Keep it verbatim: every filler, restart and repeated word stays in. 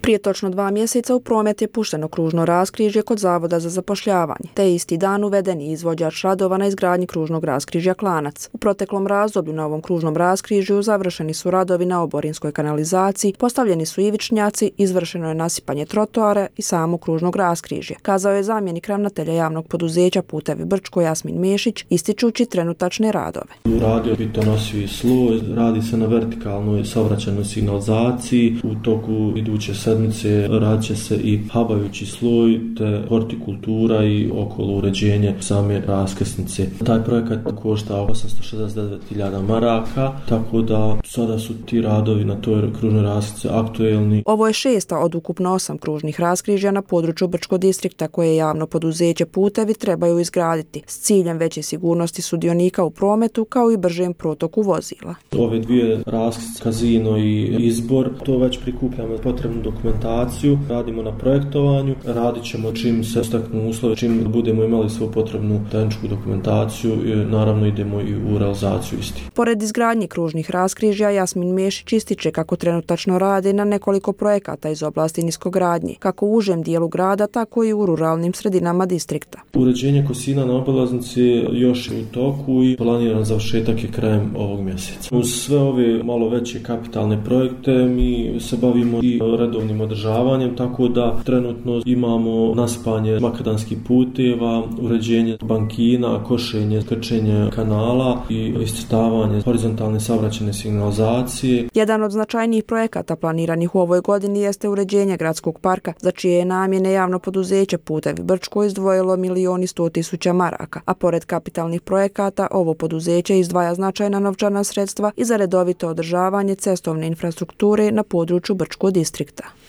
Prije točno dva mjeseca u promet je pušteno kružno raskrižje kod Zavoda za zapošljavanje, te isti dan uveden je izvođač radova na izgradnji kružnog raskrižja Klanac. U proteklom razdoblju na ovom kružnom raskrižju završeni su radovi na oborinskoj kanalizaciji, postavljeni su ivičnjaci, izvršeno je nasipanje trotoara i samo kružnog raskrižja, kazao je zamjenik ravnatelja javnog poduzeća Putevi Brčko Jasmin Mešić, ističući trenutačne radove. Radio bitonosivi sloj, radi se na vertikalnoj saobraćajnoj signalizaciji, u toku iduće sedmice radit će se i habajući sloj te hortikultura i okolo uređenje same raskrsnice. Taj projekat košta osamsto šezdeset devet hiljada maraka, tako da sada su ti radovi na toj kružnoj raskrsnici aktuelni. Ovo je šesta od ukupno osam kružnih raskrižja na području Brčkog distrikta koje javno poduzeće Putevi trebaju izgraditi s ciljem veće sigurnosti sudionika u prometu kao i bržem protoku vozila. Ove dvije raskrsnice, Kazino i Izbor, to već prikupljamo potrebnu dokumentaciju, radimo na projektovanju, radit ćemo čim se steknu uslovi, čim budemo imali svu potrebnu tehničku dokumentaciju i naravno idemo i u realizaciju isti. Pored izgradnje kružnih raskrižja, Jasmin Mešić ističe kako trenutačno radi na nekoliko projekata iz oblasti niskogradnje, kako u užem dijelu grada, tako i u ruralnim sredinama distrikta. Uređenje kosina na obilaznici još je u toku i planiran završetak je krajem ovog mjeseca. Uz sve ove malo veće kapitalne projekte mi se bavimo i redovnim održavanjem, tako da trenutno imamo naspanje makadamskih puteva, uređenje bankina, košenje, krčenje kanala i iscrtavanje horizontalne saobraćajne signalizacije. Jedan od značajnijih projekata planiranih u ovoj godini jeste uređenje gradskog parka, za čije je namjene javno poduzeće Putevi Brčko izdvojilo milion i sto tisuća maraka, a pored kapitalnih projekata ovo poduzeće izdvaja značajna novčana sredstva i za redovito održavanje cestovne infrastrukture na području Brčkog distrikta.